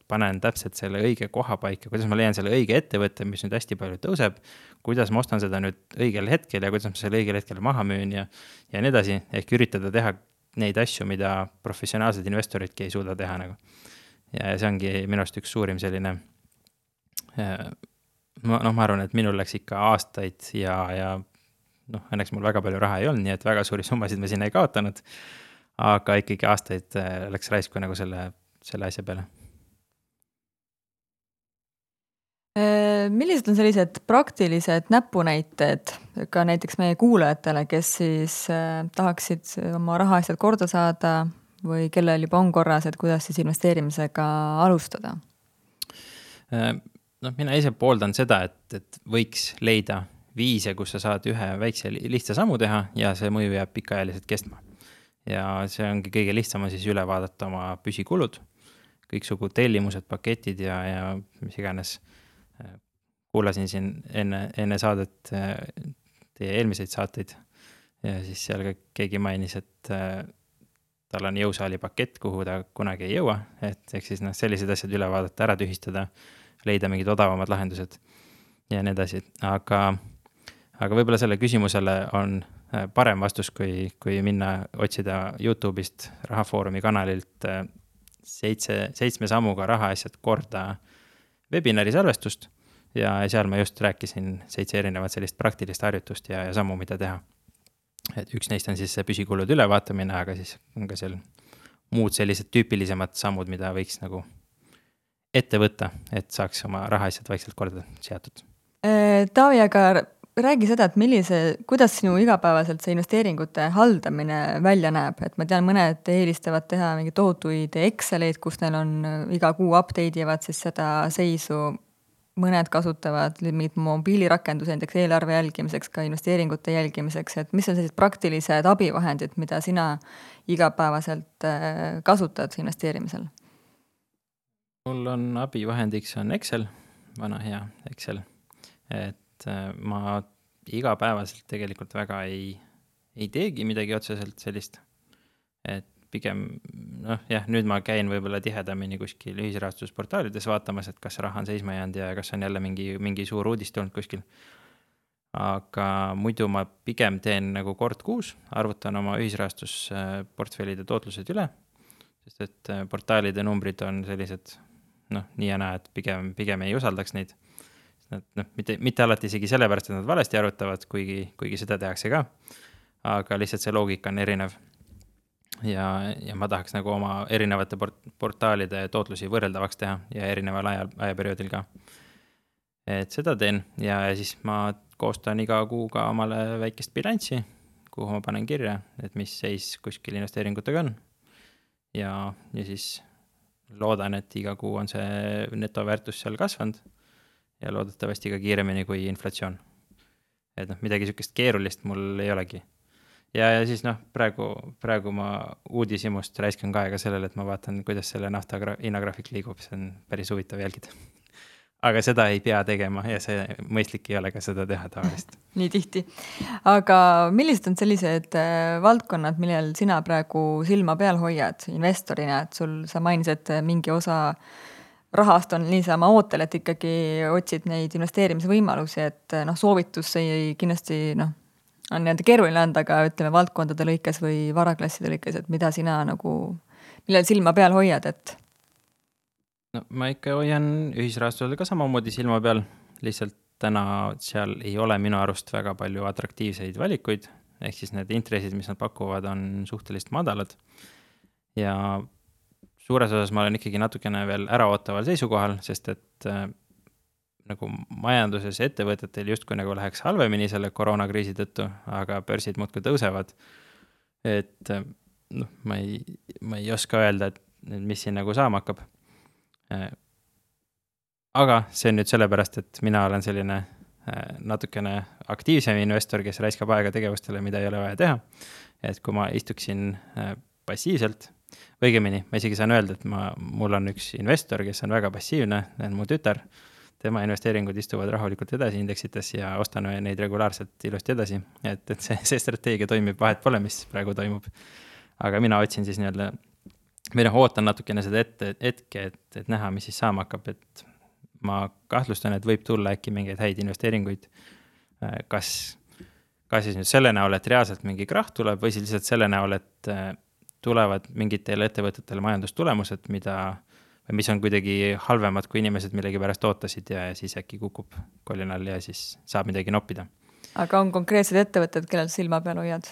S1: panen täpselt selle õige koha paika, kuidas ma leian selle õige ettevõtte, mis nüüd hästi palju tõuseb, kuidas ma ostan seda nüüd õigel hetkel ja kuidas ma selle õigel hetkel maha müün ja nii edasi, ehk üritada teha neid asju, mida professionaalsed investoridki ei suuda teha nagu. Ja see ongi minu arust üks suurim selline, ma arvan, et minul läks ikka aastaid ja õnneks mul väga palju raha ei olnud, nii et väga suuri summasid ma siin ei kaotanud, aga ikkagi aastaid läks raisku nagu selle asja peale.
S2: Millised on sellised praktilised näpunäited ka näiteks meie kuulajatele, kes siis tahaksid oma rahaasjad korda saada või kellel juba on korras, et kuidas siis investeerimisega alustada?
S1: Mina ise pooldan seda, et võiks leida viise, kus sa saad ühe väikse lihtsa sammu teha ja see mõju jääb pikaajaliselt kestma. Ja see ongi kõige lihtsam siis üle vaadata oma püsikulud, kõiksugu tellimused, paketid ja mis iganes. Kuulasin siin enne saadet teie eelmiseid saateid ja siis seal ka keegi mainis, et tal on jõusaali pakett, kuhu ta kunagi ei jõua, et ehk siis sellised asjad üle vaadata, ära tühistada, leida mingid odavamad lahendused ja nii edasi. Aga võib-olla selle küsimusele on parem vastus, kui minna otsida YouTube'ist Rahafoorumi kanalilt 7 sammuga rahaasjad korda webinari salvestust ja seal ma just rääkisin 7 erinevat sellist praktilist harjutust ja sammu, mida teha. Et üks neist on siis see püsikulud ülevaatamine, aga siis on ka seal muud sellised tüüpilisemad sammud, mida võiks nagu ette võtta, et saaks oma rahaasjad vaikselt korda seatud.
S2: Taavi, aga räägi seda, et kuidas sinu igapäevaselt see investeeringute haldamine välja näeb, et ma tean, mõned eelistavad teha mingi tohutuid Exceleid, kus neil on iga kuu update ivad siis seda seisu, mõned kasutavad mingid mobiilirakendusi näiteks eelarve jälgimiseks, ka investeeringute jälgimiseks, et mis on sellised praktilised abivahendid, mida sina igapäevaselt kasutad investeerimisel?
S1: Mul on abivahendiks on Excel, vana hea Excel, et ma igapäevaselt tegelikult väga ei teegi midagi otseselt sellist, et pigem, nüüd ma käin võib-olla tihedamini kuskil ühisrahastusportaalides vaatamas, et kas raha on seisma jäänud ja kas on jälle mingi suur uudis tulnud kuskil. Aga muidu ma pigem teen nagu kord kuus, arvutan oma ühisrahastusportfellide tootlused üle, sest et portaalide numbrid on sellised, nii ja näe, et pigem ei usaldaks neid. Mitte alati isegi sellepärast, et nad valesti arvutavad, kuigi seda tehakse ka, aga lihtsalt see loogika on erinev. Ja ma tahaks nagu oma erinevate portaalide tootlusi võrreldavaks teha ja erineval ajaperioodil ka. Et seda teen ja siis ma koostan iga kuu ka omale väikest bilanssi, kuhu ma panen kirja, et mis seis kuskil investeeringutega on. Ja siis loodan, et iga kuu on see netoväärtus seal kasvanud ja loodetavasti ka kiiremini kui inflatsioon. Et midagi sükest keerulist mul ei olegi. ja siis praegu ma uudishimust raiskan ka aega sellele, et ma vaatan, kuidas selle nafta hinnagraafik liigub, see on päris huvitav jälgida. Aga seda ei pea tegema ja see mõistlik ei ole ka seda teha tavalist.
S2: Nii tihti. Aga millised on sellised valdkonnad, millel sina praegu silma peal hoiad investorina, et sa mainisid, et mingi osa rahast on niisama ootel, et ikkagi otsid neid investeerimisvõimalusi, et soovitus ei kindlasti on nii-öelda keeruline anda, aga ütleme valdkondade lõikes või varaklasside lõikes, et mida sina millel silma peal hoiad, et
S1: No ma ikka hoian ühisrahastusel ka samamoodi silma peal, lihtsalt täna seal ei ole minu arust väga palju atraktiivseid valikuid, ehk siis need intressid, mis nad pakuvad, on suhteliselt madalad. Ja suures osas ma olen ikkagi natukene veel äraootaval seisukohal, sest et nagu majanduses ettevõtetel justkui nagu läheks halvemini selle koroonakriisi tõttu, aga börsid muudkui tõusevad. Et ma ei oska öelda, et mis siin nagu saama hakkab. Aga see on nüüd sellepärast, et mina olen selline natukene aktiivsem investor, kes raiskab aega tegevustele, mida ei ole vaja teha. Et kui ma istuksin passiivselt, õigemini, ma isegi saan öelda, et mul on üks investor, kes on väga passiivne, mu tütar, tema investeeringud istuvad rahulikult edasi indeksites ja ostan neid regulaarselt ilusti edasi. Et see strateegia toimib, vahet pole, mis praegu toimub. Aga mina otsin siis nii-öelda ootan natukene seda hetke, et näha, mis siis saama hakkab, et ma kahtlustan, et võib tulla äkki mingeid häid investeeringuid, kas siis nüüd selle näol, et reaalselt mingi krahh tuleb, või siis lihtsalt selle näol, et tulevad mingitele ettevõtetele majandustulemused, mis on kuidagi halvemad, kui inimesed millegi pärast ootasid ja siis äkki kukub kolinal ja siis saab midagi noppida.
S2: Aga on konkreetsed ettevõtted, kellel silma peal hoiad?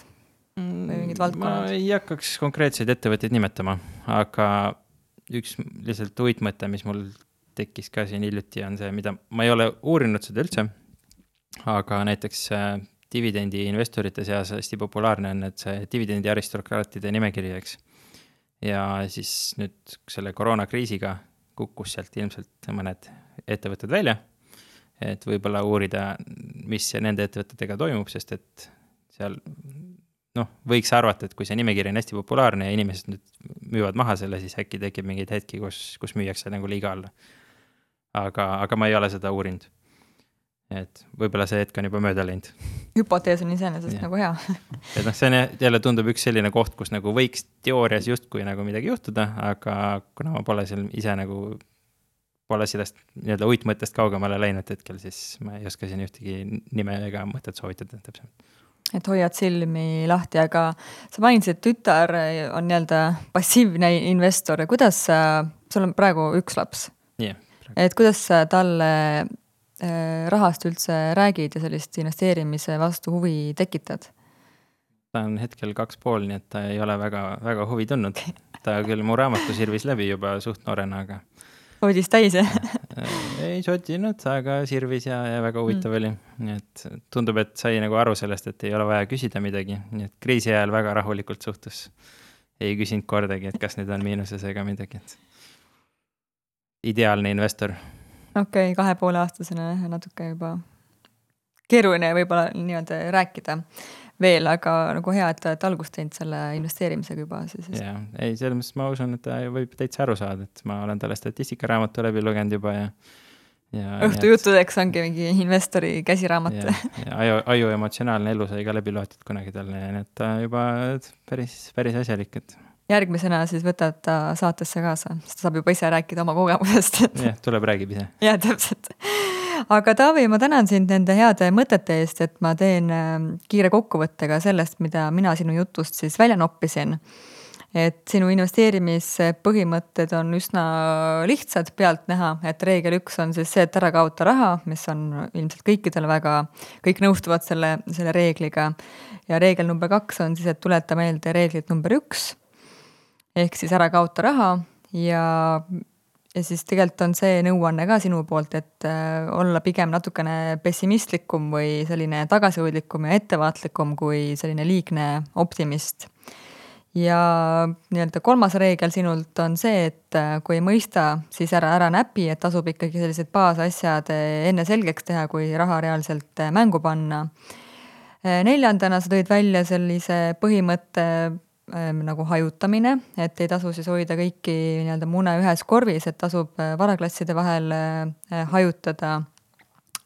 S2: Või mingid valdkonnad?
S1: Ma ei hakkaks konkreetseid ettevõtteid nimetama, aga üks lihtsalt uitmõte, mis mul tekkis ka siin hiljuti, on see, mida ma ei ole uurinud seda üldse, aga näiteks dividendi investorite seas hästi populaarne on, et see dividendi aristokraatide nimekiri, eks. Ja siis nüüd selle koroonakriisiga kukkus sealt ilmselt mõned ettevõtted välja, et võib-olla uurida, mis nende ettevõtetega toimub, sest et seal võiks arvata, et kui see nimekiri on hästi populaarne ja inimesed nüüd müüvad maha selle, siis äkki tekib mingeid hetki, kus müüakse nagu liiga alla. Aga ma ei ole seda uurinud. Et võib-olla see hetk on juba mööda läinud.
S2: Hüpotees on iseenesest nagu hea.
S1: Et see jälle tundub üks selline koht, kus nagu võiks teoorias justkui nagu midagi juhtuda, aga kuna ma pole seal ise nagu pole sellest nii-öelda uitmõttest kaugemale läinud hetkel, siis ma ei oska siin ühtegi nime ega mõtet soovitada täpselt.
S2: Et hoiad silmi lahti, aga sa mainisid, et tütar on nii-öelda passiivne investor. Kuidas sul on praegu üks laps?
S1: Yeah,
S2: et kuidas talle rahast üldse räägid ja sellist investeerimise vastu huvi tekitad?
S1: Ta on hetkel 2,5, nii et ta ei ole väga, väga huvi tundnud. Ta küll mu raamatu sirvis läbi juba suht noorena, aga
S2: Oodis täis,
S1: ei sotinud, aga sirvis ja väga huvitav oli. Nii et tundub, et sai nagu aru sellest, et ei ole vaja küsida midagi. Nii et kriisi ajal väga rahulikult suhtus. Ei küsinud kordagi, et kas nüüd on miinuses ega midagi. Ideaalne investor.
S2: Okei, 2,5-aastasena natuke juba keeruline võib-olla nii-öelda rääkida veel, aga nagu hea, et algust teinud selle investeerimisega juba.
S1: Jaa, ei, selles mõttes ma usun, et ta võib täitsa aru saada, et ma olen talle statistikaraamatu läbi lugenud juba ja
S2: õhtujuttudeks ongi mingi investori käsiraamat.
S1: Ja aju emotsionaalne elu sai ka läbi loetud kunagi talle, nii et ta juba päris asjalik, et
S2: järgmisena siis võtad ta saatesse kaasa, sest ta saab juba ise rääkida oma kogemusest.
S1: Jah, tuleb räägib ise.
S2: Jah, täpselt. Aga Taavi, ma tänan sind nende heade mõtete eest, et ma teen kiire kokkuvõttega sellest, mida mina sinu jutust siis välja noppisin. Et sinu investeerimispõhimõtted on üsna lihtsad pealt näha, et reegel 1 on siis see, et ära kaota raha, mis on ilmselt kõikidel kõik nõustuvad selle reegliga. Ja reegel number 2 on siis, et tuleta meelde reeglit number 1, ehk siis ära kaota raha ja siis tegelikult on see nõuanne ka sinu poolt, et olla pigem natukene pessimistlikum või selline tagasihoidlikum ja ettevaatlikum kui selline liigne optimist. Ja nii-öelda 3. reegel sinult on see, et kui ei mõista, siis ära näpi, et tasub ikkagi sellised baasasjad enne selgeks teha, kui raha reaalselt mängu panna. Neljandana sa tõid välja sellise põhimõtte nagu hajutamine, et ei tasu siis hoida kõiki nii-öelda mune ühes korvis, et tasub varaklasside vahel hajutada,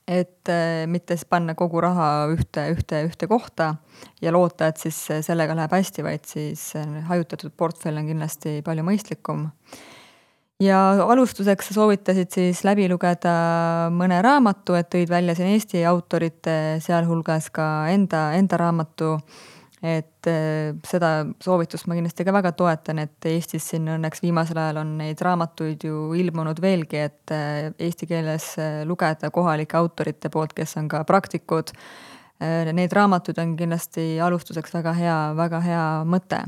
S2: et mitte siis panna kogu raha ühte kohta ja loota, et siis sellega läheb hästi, vaid siis hajutatud portfell on kindlasti palju mõistlikum. Ja alustuseks sa soovitasid siis läbi lugeda mõne raamatu, et tõid välja siin Eesti autorite, sealhulgas ka enda raamatu, et seda soovitust ma kindlasti ka väga toetan, et Eestis siin õnneks viimasel ajal on neid raamatuid ju ilmunud veelgi, et eesti keeles lugeda kohalike autorite poolt, kes on ka praktikud. Neid raamatuid on kindlasti alustuseks väga hea mõte.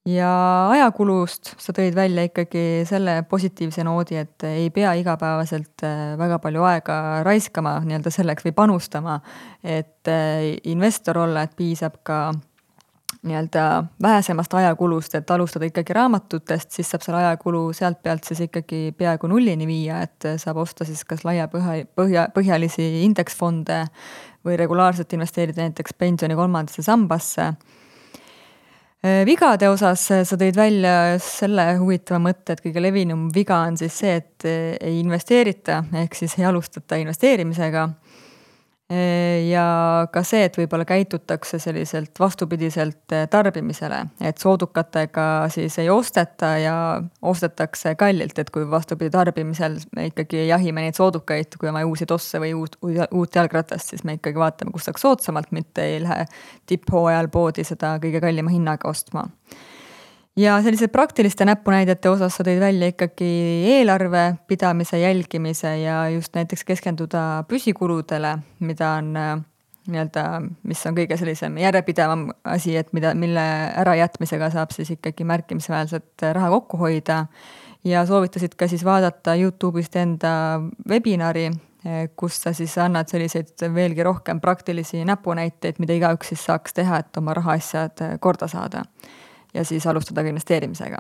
S2: Ja ajakulust sa tõid välja ikkagi selle positiivse noodi, et ei pea igapäevaselt väga palju aega raiskama nii-öelda selleks või panustama, et investor olla, et piisab ka nii-öelda vähesemast ajakulust, et alustada ikkagi raamatutest, siis saab selle ajakulu sealt pealt siis ikkagi peaaegu nullini viia, et saab osta siis kas laiapõhjalisi indeksfonde või regulaarselt investeerida näiteks pensioni 3. sambasse. Vigade osas sa tõid välja selle huvitava mõtte, et kõige levinum viga on siis see, et ei investeerita, ehk siis ei alustata investeerimisega. Ja ka see, et võib-olla käitutakse selliselt vastupidiselt tarbimisele, et soodukatega siis ei osteta ja ostetakse kallilt, et kui vastupidi tarbimisel me ikkagi jahime neid soodukaid, kui oma uusi tosse või uut jalgratast, siis me ikkagi vaatame, kus saaks soodsamalt, mitte ei lähe tipphooajal poodi seda kõige kallima hinnaga ostma. Ja sellise praktiliste näpunäidete osas sa tõid välja ikkagi eelarve pidamise, jälgimise ja just näiteks keskenduda püsikuludele, mida on nii-öelda, mis on kõige sellisem järjepidevam asi, et mille ärajätmisega saab siis ikkagi märkimisväärselt raha kokku hoida. Ja soovitasid ka siis vaadata YouTube'ist enda webinari, kus sa siis annad selliseid veelgi rohkem praktilisi näpunäiteid, mida igaüks siis saaks teha, et oma rahaasjad korda saada. Ja siis alustada ka investeerimisega.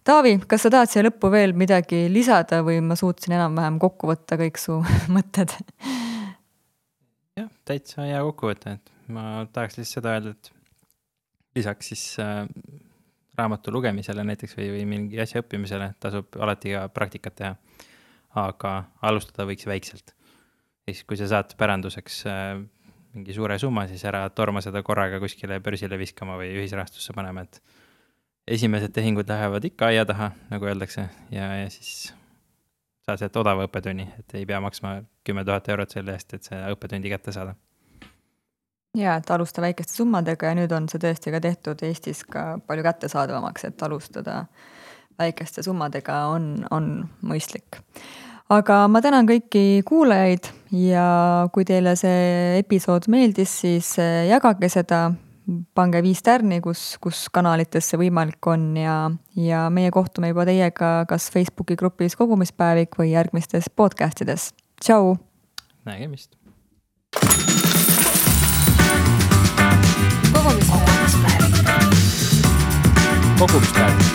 S2: Taavi, kas sa tahad siia lõppu veel midagi lisada või ma suutsin enam-vähem kokku võtta kõik su mõtted?
S1: Jah, täitsa hea kokku võtta, et ma tahaks lihtsalt seda öelda, et lisaks siis raamatu lugemisele näiteks või mingi asja õppimisele tasub alati ka praktikat teha, aga alustada võiks väikselt. Siis kui sa saad päranduseks mingi suure summa, siis ära torma seda korraga kuskile börsile viskama või ühisrahastusse panema, et esimesed tehingud lähevad ikka aia taha, nagu öeldakse, ja siis saad sealt odava õppetunni, et ei pea maksma 10 000 eurot selle eest, et see õppetundi kätte saada.
S2: Ja, et alusta väikeste summadega ja nüüd on see tõesti ka tehtud Eestis ka palju kättesaadavamaks, et alustada väikeste summadega on mõistlik. Aga ma tänan kõiki kuulajaid ja kui teile see episood meeldis, siis jagage seda, pange 5 tärni, kus kanalites see võimalik on ja meie kohtume juba teiega kas Facebooki grupis Kogumispäevik või järgmistes podcastides. Tšau!
S1: Nägemist!
S3: Kogumispäevik.